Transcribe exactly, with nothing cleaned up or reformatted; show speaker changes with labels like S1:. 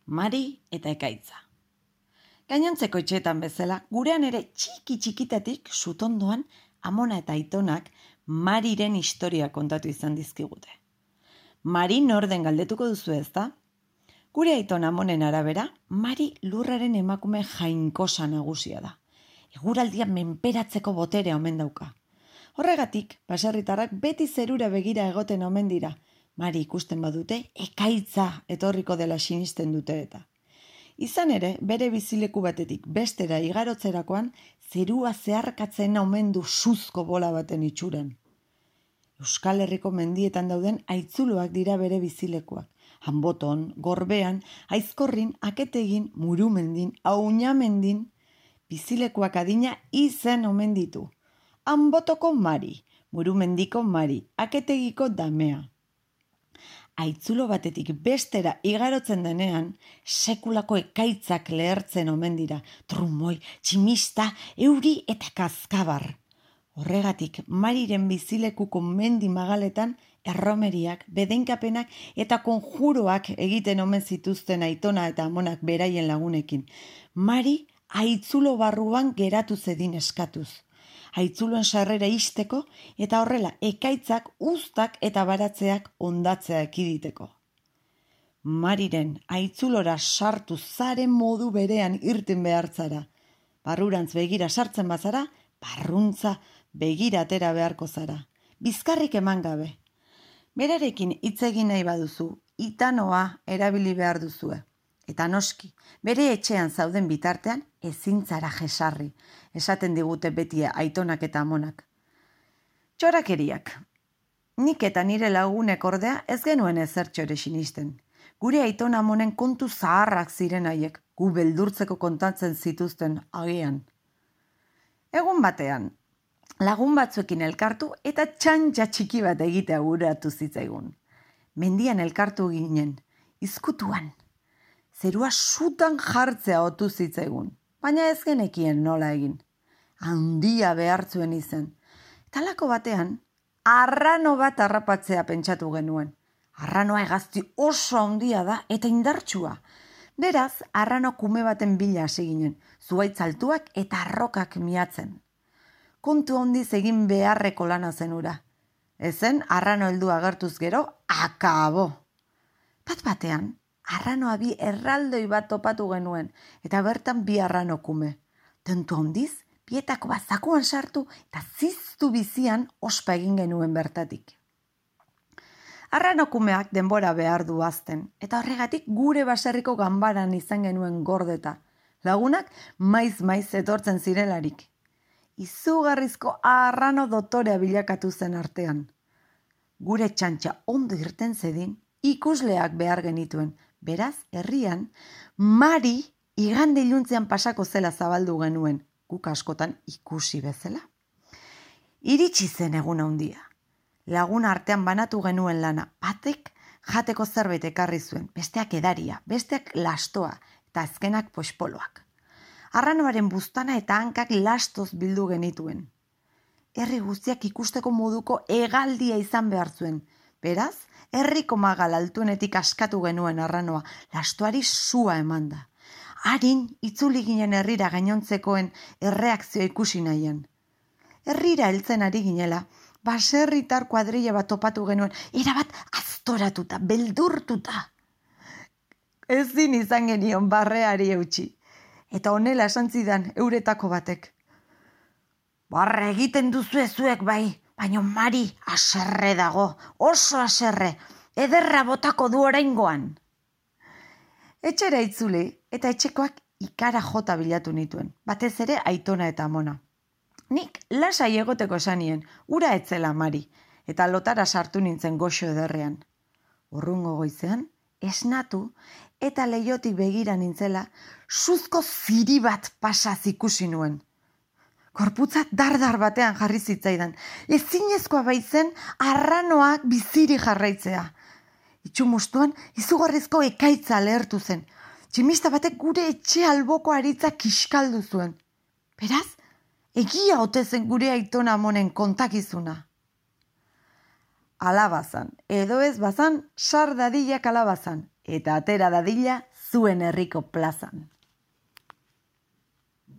S1: Mari eta ekaitza. Gainontzeko etxeetan bezala, gurean ere txiki txikitatik sutondoan amona eta aitonak Mariren historia kontatu izan dizkigute. Mari nor den galdetuko duzu ezta? Gure aiton amonen arabera, Mari lurraren emakume jainkosa nagusia da. Eguraldia menperatzeko boterea omen dauka. Horregatik, baserritarrak beti zerura begira egoten omen dira. Mari ikusten badute, ekaitza etorriko dela sinisten dute eta. Izan ere, bere bizileku batetik bestera igarotzerakoan, zerua zeharkatzen omen du suzko bola baten itxuran. Euskal Herriko mendietan dauden aitzuloak dira bere bizilekuak. Hanboton, Gorbean, Aizkorrin, Aketegin, Murumendin, Auñamendin, bizilekuak adina izen omen ditu. Hanbotoko Mari, Murumendiko Mari, Aketegiko Damea. Aitzulo batetik bestera igarotzen denean, sekulako ekaitzak lehertzen omen dira, trumoi, tximista, euri eta kaskabar. Horregatik, Mariren bizilekuko mendi magaletan, erromeriak, bedenkapenak eta konjuroak egiten omen zituzten aitona eta amonak beraien lagunekin. Mari aitzulo barruan geratu zedin eskatuz. Aitzuloen sarrera isteko eta horrela ekaitzak, uztak eta baratzeak ondatzea ekiditeko. Mariren aitzulora sartu zaren modu berean irten behartzara. Barrurantz begira sartzen bazara, barruntza begira atera beharko zara. Bizkarrik eman gabe. Berarekin hitz egin nahi baduzu, itanoa erabili behar duzue. Eta noski, bere etxean zauden bitartean ezin zara jesarri, esaten digute beti aitonak eta amonak. Txorakeriak. Nik eta nire lagunek ordea ez genuen ezertxo ere sinisten. Gure aitona amonen kontu zaharrak ziren haiek, gu beldurtzeko kontatzen zituzten agian. Egun batean, lagun batzuekin elkartu eta txantxa txiki bat egitea guratu zitzaigun. Mendian elkartu ginen, izkutuan. Zerua sutan jartzea otu zitzaigun, baina ez genekien nola egin. Handia behartzuen izen. Talako batean, arrano bat harrapatzea pentsatu genuen. Arranoa hegazti oso handia da eta indartsua. Beraz, arrano kume baten bila hasi ginen, zuhaitz altuak eta arrokak miatzen. Kontu handiz egin beharreko lana zenura. Ezen, arrano heldu agertuz gero, akabo. Bat batean, arranoa bi erraldoi bat topatu genuen, eta bertan bi arrano kume. Tentu handiz, bietako bat zakuan sartu, eta ziztu bizian ospa egin genuen bertatik. Arrano kumeak denbora behar du azten, eta horregatik gure baserriko ganbaran izan genuen gordeta. Lagunak maiz-maiz etortzen zirelarik. Izugarrizko arrano dotorea bilakatu zen artean. Gure txantxa ondo irten zedin, ikusleak behar genituen. Beraz, herrian, Mari igande iluntzean pasako zela zabaldu genuen, guk askotan ikusi bezala. Iritsi zen egun handia. Lagun artean banatu genuen lana, batek jateko zerbait ekarri zuen, besteak edaria, besteak lastoa eta azkenak pospoloak. Arranoaren buztana eta hankak lastoz bildu genituen. Herri guztiak ikusteko moduko hegaldia izan behar zuen, beraz, herriko magal altuenetik askatu genuen arranoa, lastoari sua emanda. Harin, itzuli ginen herrira gainontzekoen erreakzioa ikusi nahian. Herrira heltzen ari ginela, baserritar kuadrilla bat topatu genuen, erabat aztoratuta, beldurtuta. Ezin izan genion barreari eutxi. Eta honela esan zidan euretako batek. Barre egiten duzu ezuek bai, baina Mari aserre dago, oso aserre, ederra botako du oraingoan. Etxera itzuli eta etxekoak ikara jota bilatu nituen, batez ere aitona eta amona. Nik lasai egoteko esanien, ura etzela Mari, eta lotara sartu nintzen goxo ederrean. Urrungo goizean, esnatu eta leiotik begira nintzela, suzko ziri bat pasaz ikusi nuen. Korputza dardar batean jarri zitzaidan. Ezinezkoa baitzen arranoak biziri jarraitzea. Itxumustuan izugarrizko ekaitza lehertu zen. Tximista batek gure etxe alboko aritza kiskaldu zuen. Beraz, egia ote zen gure aitona amonen kontakizuna. alabazan, edo ez bazan, sar dadila kalabazan, eta atera dadila zuen herriko plazan.